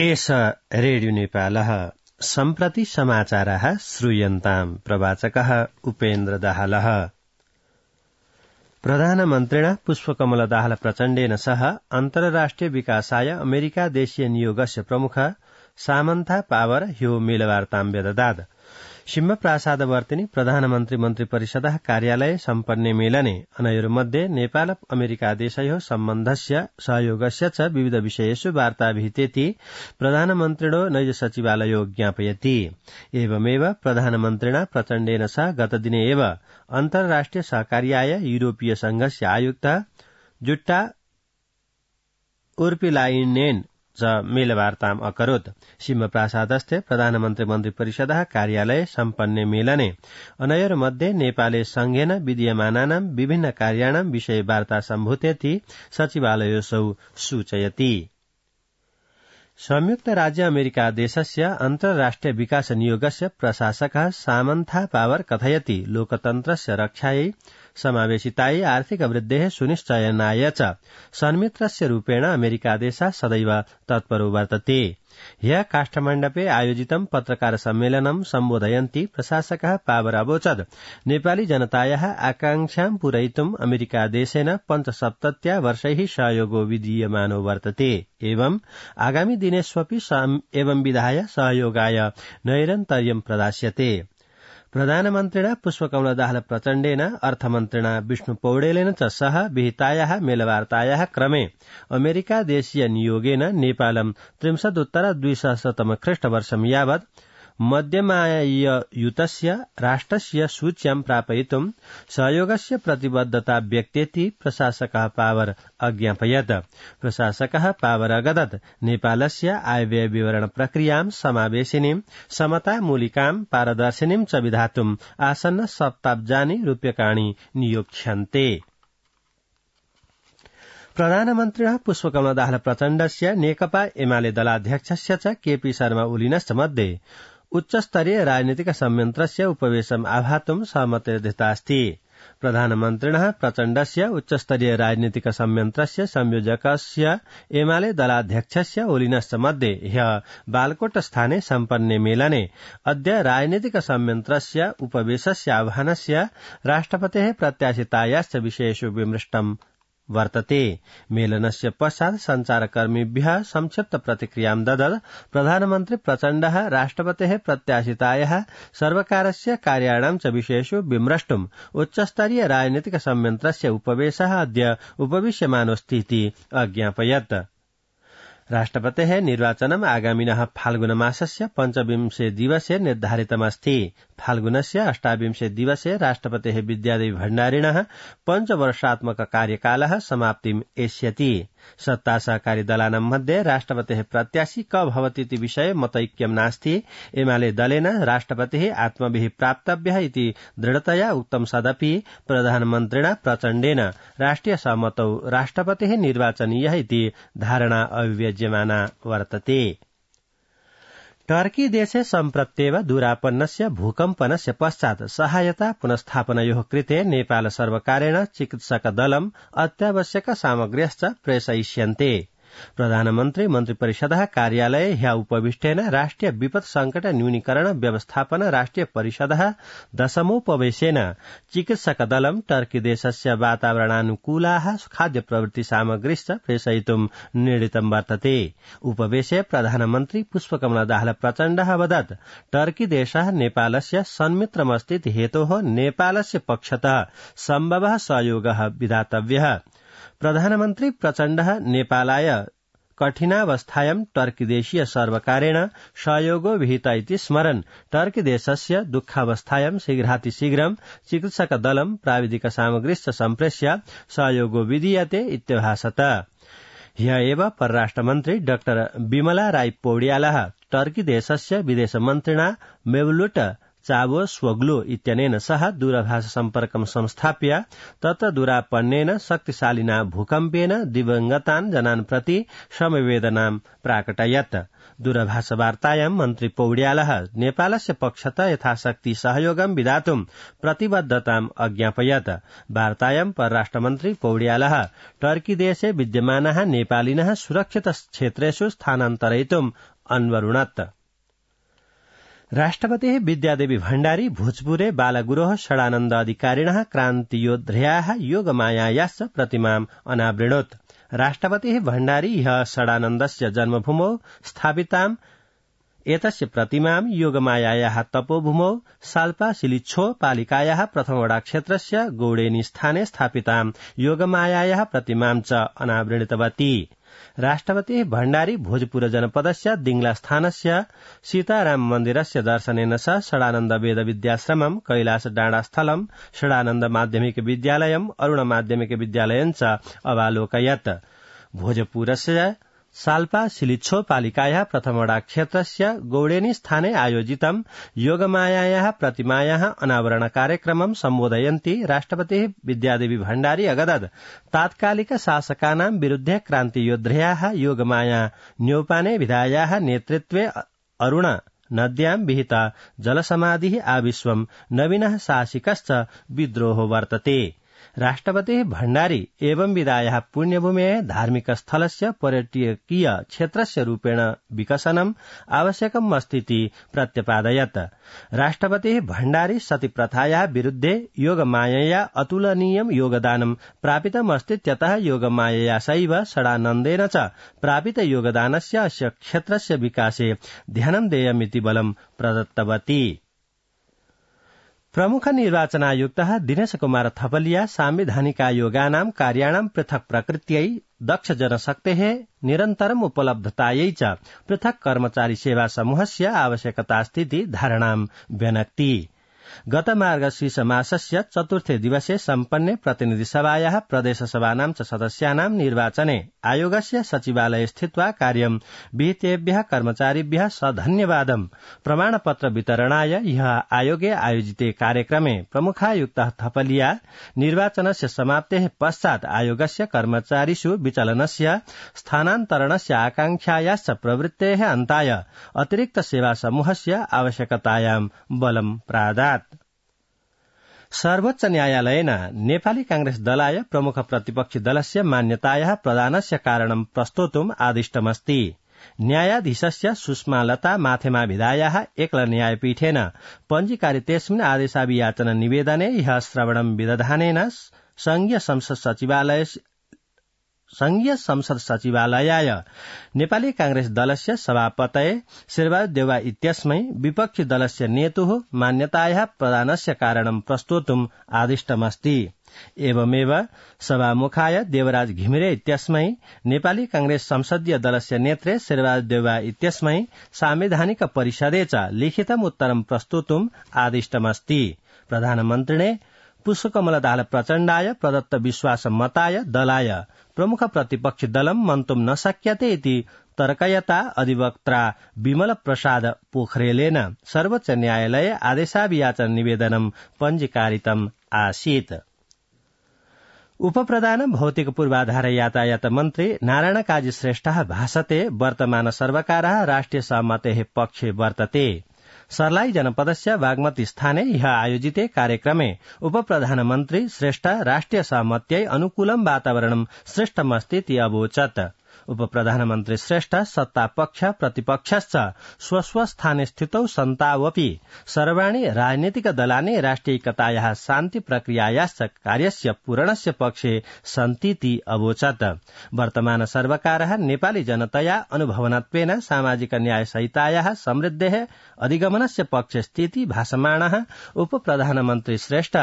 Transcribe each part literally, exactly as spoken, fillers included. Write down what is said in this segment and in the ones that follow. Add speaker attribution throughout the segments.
Speaker 1: एष रेडियो नेपालः सम्प्रति समाचारः श्रूयन्ताम् प्रवाचकः उपेन्द्र दाहालः। प्रधानमन्त्रिणा पुष्पकमल दाहाल प्रचण्डेन सह अन्तर्राष्ट्रिय विकासाय अमेरिका देशीय नियोगस्य प्रमुख सामन्था पावर ह्यो मेलवार्तां व्यददात्। सिंह प्रासादवर्तिनि प्रधानमन्त्री मन्त्री परिषदः कार्यालये सम्पन्ने मेलने अनयोर्मध्ये नेपाल अमेरिका देशयोः सम्बन्धस्य सहयोगस्य च विविध विषयेषु वार्ता विहितेति प्रधानमन्त्रिणो नैज सचिवालयो ज्ञापयति। एवमेव प्रधानमन्त्रिणा प्रचण्डेन सह गतदिने एव अन्तर्राष्ट्रिय सहकार्याय यूरोपीय संघस्य आयुक्त जुट्टा उर्पिलाइनेन च मेलवार्ताम् अकरोत्। सिंह प्रासादस्थे प्रधानमन्त्री मन्त्री परिषदः कार्यालये सम्पन्ने मेलने अनयोर्मध्ये नेपाले संघेन विधीयमानानां विभिन्न कार्याणां विषये वार्ता सम्भूतेति सचिवालयोऽसौ सूचयति। संयुक्त राज्य अमेरिका देशस्य अन्तर्राष्ट्रिय विकास नियोगस्य प्रशासकः सामन्था पावर कथयति लोकतन्त्रस्य रक्षायै समावेशितायै आर्थिक वृद्धेः सुनिश्चयनाय च सन्मित्रस्य रूपेण अमेरिका देशः सदैव तत्परो वर्तते। ह्यः काष्ठमण्डपे आयोजितं पत्रकार सम्मेलनं सम्बोधयन्ती प्रशासकः पावर अवोचत् नेपाली जनतायाः आकांक्षां पूरयितुम् अमेरिका देशेन पञ्चसप्तत्या वर्षैः सहयोगो विधीयमानो वर्तते। एवं आगामी दिनेष्वपि एवं विधाय सहयोगाय नैरन्तर्यं प्रदास्यते। प्रधानमन्त्रिणा पुष्पकमल दाहाल प्रचण्डेन अर्थमन्त्रिणा विष्णु पौडेलेन च सह विहितायाः मेलवार्तायाः क्रमे अमेरिका देशीय नियोगेन नेपालं त्रिंशदुत्तर द्विसहस्रतम ख्रीष्टवर्षं यावत् मध्यमाययुतस्य राष्ट्रस्य सूच्यां प्रापयितुं सहयोगस्य प्रतिबद्धता व्यक्तेति प्रशासकः पावर अज्ञापयत्। प्रशासकः पावर अगदत् नेपालस्य आयव्यय विवरण प्रक्रियां समावेशिनीं समतामूलिकां पारदर्शिनीं च विधातुम् आसन्न सप्ताब्जानि रूप्यकाणि नियोक्ष्यन्ते। प्रधानमन्त्रिणः पुष्पकमल दाहाल प्रचण्डस्य नेकपा एमाले दलाध्यक्षस्य च केपी शर्मा ओलीनश्च मध्ये उच्चस्तरीय राजनीतिक संयन्त्रस्य उपवेशम् आह्वातुं सहमतिर्दत्तास्ति। प्रधानमन्त्रिणः प्रचण्डस्य उच्चस्तरीय राजनीतिक संयन्त्रस्य संयोजकस्य एमाले दलाध्यक्षस्य ओलीनश्च मध्ये ह्यः बालकोट स्थाने सम्पन्ने मेलने अद्य राजनीतिक संयन्त्रस्य उपवेशस्य आह्वानस्य राष्ट्रपतेः प्रत्याशितायाश्च विषयेषु विमृष्टम् वर्तते। मेलनस्य पश्चात् संचारकर्मिभ्यः संक्षिप्त प्रतिक्रियां ददत् प्रधानमन्त्री प्रचण्डः राष्ट्रपतेः प्रत्याशितायाः सर्वकारस्य कार्याणां च विषयेषु विमृष्टुम् उच्चस्तरीय राजनीतिक संयन्त्रस्य उपवेशः अद्य उपविश्यमानोऽस्तीति अज्ञापयत्। राष्ट्रपतेः निर्वाचनम् आगामिनः फाल्गुनमासस्य पञ्चविंशे दिवसे निर्धारितमस्ति। फाल्गुनस्य अष्टाविंशे दिवसे राष्ट्रपतेः विद्यादेवी भण्डारिणः पञ्चवर्षात्मक कार्यकालः समाप्तिम् एष्यति। सत्ता सहकारी दलानां मध्ये राष्ट्रपतेः प्रत्याशी क भवतीति विषये मतैक्यं नास्ति। एमाले दलेन राष्ट्रपतिः आत्मभिः प्राप्तव्यः इति दृढतया उक्तं सदपि प्रधानमन्त्रिणा प्रचण्डेन राष्ट्रिय सहमतौ राष्ट्रपतिः निर्वाचनीयः इति धारणा अभिव्यज्यमाना वर्तते। टर्की देशे सम्प्रत्येव दूरापन्नस्य भूकम्पनस्य पश्चात् सहायता पुनस्थापनयोः कृते नेपाल सर्वकारेण चिकित्सकदलम् अत्यावश्यक सामग्र्यश्च प्रेषयिष्यन्ते। प्रधानमन्त्री मन्त्रिपरिषदः कार्यालये ह्यः उपविष्टेन राष्ट्रिय विपत् संकट न्यूनीकरण व्यवस्थापन राष्ट्रिय परिषदः दशमोपवेशेन चिकित्सकदलं टर्की देशस्य वातावरणानुकूलाः खाद्य प्रवृत्ति सामग्रीश्च प्रेषयितुं निर्णीतं वर्तते। उपवेशे प्रधानमन्त्री पुष्पकमल दाहाल प्रचण्डः अवदत् टर्की देशः नेपालस्य सन्मित्रमस्तीति हेतोः नेपालस्य पक्षतः सम्भवः सहयोगः विधातव्यः। प्रधानमन्त्री प्रचण्डः नेपालाय कठिनावस्थायां टर्की देशीय सर्वकारेण सहयोगो विहित इति स्मरन् टर्की देशस्य दुःखावस्थायां शीघ्रातिशीघ्रं चिकित्सकदलं प्राविधिक सामग्रीश्च सम्प्रेष्य सहयोगो विधीयते इत्यभाषत। ह्यः एव परराष्ट्रमन्त्री डाक्टर विमला राय पौड्यालः टर्की देशस्य विदेशमन्त्रिणा मेवलुट चावो स्वग्लो इत्यनेन सह दूरभाष सम्पर्कं संस्थाप्य तत्र दूरापन्नेन शक्तिशालिना भूकम्पेन दिवंगतान् जनान् प्रति समवेदनां प्राकटयत्। दूरभाषवार्तायां मन्त्री पौड्यालः नेपालस्य पक्षतः यथाशक्ति सहयोगं विधातुं प्रतिबद्धताम् अज्ञापयत्। वार्तायां परराष्ट्रमन्त्री पौड्यालः टर्कीदेशे विद्यमानाः नेपालिनः सुरक्षित क्षेत्रेषु स्थानान्तरयितुम् अन्वरुणत्। राष्ट्रपतिः विद्यादेवी भण्डारी भोजपुरे बालगुरोः षडानन्द अधिकारिणः क्रान्तियोद्ध्याः योगमायायाश्च प्रतिमाम् अनावृणोत्। राष्ट्रपतिः भण्डारी ह्यः षडानन्दस्य जन्मभूमौ स्थापिताम् एतस्य प्रतिमां योगमायायाः तपोभूमौ साल्पा सिलिच्छो पालिकायाः प्रथमवडा क्षेत्रस्य गौडेनी स्थाने स्थापितां योगमायायाः प्रतिमां च अनावृणितवती। राष्ट्रपतिः भण्डारी भोजपुर जनपदस्य दिंग्ला स्थानस्य सीताराम मन्दिरस्य दर्शनेन सह षडानन्द वेद विद्याश्रमं कैलास डाँडास्थलं षडानन्द माध्यमिक विद्यालयं अरुण माध्यमिक विद्यालयं च अवालोकयत्। भोजपुरस्य साल्पा सिलिच्छो पालिकायाः प्रथमवडा क्षेत्रस्य गौडेनी स्थाने आयोजितं योगमायायाः प्रतिमायाः अनावरण कार्यक्रमं सम्बोधयन्ती राष्ट्रपतिः विद्यादेवी भण्डारी अगदत् तात्कालिक शासकानां विरुद्धे क्रान्तियोद्ध्याः योगमाया न्यौपाने विधायाः नेतृत्वे अरुण नद्यां विहिता जलसमाधिः आविश्वं नवीनः साहसिकश्च विद्रोहो वर्तते। राष्ट्रपतिः भण्डारी एवं विदायाः पुण्यभूमेः धार्मिक स्थलस्य पर्यटकीय क्षेत्रस्य रूपेण विकसनम् आवश्यकम् अस्तीति प्रत्यपादयत्। राष्ट्रपतिः भण्डारी सतीप्रथायाः विरुद्धे योगमायया अतुलनीयं योगदानं प्रापितमस्तीत्यतः योगमायया सैव षडानन्देन च प्रापित योगदानस्य अस्य क्षेत्रस्य विकासे ध्यानं देयमिति बलं प्रदत्तवती। प्रमुख निर्वाचनायुक्तः दिनेश कुमार थपलिया सांविधानिकायोगानां कार्याणां पृथक् प्रकृत्यै दक्ष जनशक्तेः निरन्तरम् उपलब्धतायै च पृथक् कर्मचारी सेवा समूहस्य आवश्यकतास्तीति धारणां व्यनक्ति। गत मार्गशीर्ष मासस्य चतुर्थे दिवसे सम्पन्ने प्रतिनिधिसभायाः प्रदेशसभानां च सदस्यानां निर्वाचने आयोगस्य सचिवालये स्थित्वा कार्यं विहितेभ्यः कर्मचारिभ्यः सधन्यवादं प्रमाणपत्र वितरणाय ह्यः आयोगे आयोजिते कार्यक्रमे प्रमुखायुक्तः थपलिया निर्वाचनस्य समाप्तेः पश्चात् आयोगस्य कर्मचारिषु विचलनस्य स्थानान्तरणस्य आकांक्षायाश्च प्रवृत्तेः अन्ताय अतिरिक्त सेवा समूहस्य आवश्यकतायां बलं प्रादात्। सर्वोच्च न्यायालयेन नेपाली कांग्रेस दलाय प्रमुख प्रतिपक्षी दलस्य मान्यतायाः प्रदानस्य कारणं प्रस्तोतुम् आदिष्टमस्ति। न्यायाधीशस्य सुषमालता माथेमाभिधायाः एकल न्यायपीठेन पञ्जीकारितेऽस्मिन् आदेशाभियाचन निवेदने ह्यः श्रवणं विदधानेन संघीय संसद सचिवालय संघीय संसद सचिवालयाय नेपाली कांग्रेस दलस्य सभापतये शेरबहादुर देउवा इत्यस्मै विपक्षी दलस्य नेतुः मान्यतायाः प्रदानस्य कारणं प्रस्तोतुम् आदिष्टमस्ति। एवमेव सभामुखाय देवराज घिमिरे इत्यस्मै नेपाली कांग्रेस संसदीय दलस्य नेत्रे शेरबहादुर देउवा इत्यस्मै सांविधानिक परिषदे च लिखितम् उत्तरं प्रस्तोतुम् आदिष्टमस्ति। प्रधानमन्त्रिणे पुष्पकमल दाहाल प्रचण्डाय प्रदत्त विश्वास मताय दलाय प्रमुख प्रतिपक्षी दलं मन्तुं न शक्यते इति तर्कयता अधिवक्त्रा विमल प्रसाद पोखरेलेन सर्वोच्च न्यायालये आदेशाभियाचन निवेदनं पञ्जीकारितम् आसीत्। उपप्रधान भौतिक पूर्वाधार यातायात मन्त्री नारायण काजी श्रेष्ठः भाषते वर्तमान सर्वकारः राष्ट्रिय सहमतेः पक्षे वर्तते। सर्लाई जनपदस्य बागमती स्थाने ह्यः आयोजिते कार्यक्रमे उपप्रधानमन्त्री श्रेष्ठ राष्ट्रिय सहमत्यै अनुकूलं वातावरणं सृष्टमस्तीति अवोचत्। उपप्रधानमन्त्री श्रेष्ठ सत्तापक्ष प्रतिपक्षश्च स्वस्वस्थाने स्थितौ सन्तावपि सर्वाणि राजनीतिक दलानि राष्ट्रियैकतायाः शान्ति प्रक्रियायाश्च कार्यस्य पूरणस्य पक्षे सन्तीति अवोचत्। वर्तमान सर्वकारः नेपाली जनतया अनुभवनत्वेन सामाजिक न्यायसहितायाः समृद्धेः अधिगमनस्य पक्षे स्थिति भाषमाणः उपप्रधानमन्त्री श्रेष्ठ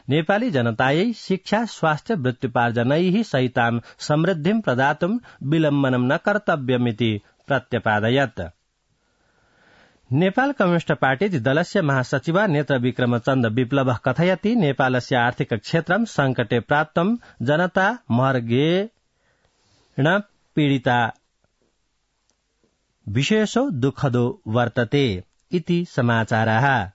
Speaker 1: नेपाली जनतायै शिक्षा स्वास्थ्य वृत्त्युपार्जनैः सहितां समृद्धिं प्रदातुं विलम्बनं न कर्तव्यमिति प्रत्यपादयत्। नेपाल कम्युनिस्ट पार्टी दलस्य महासचिव नेत्र विक्रमचन्द विप्लवः कथयति नेपालस्य आर्थिक क्षेत्रं संकटे प्राप्तं जनता मर्गेण पीडिता विशेषो दुःखदो वर्तते इति समाचारः।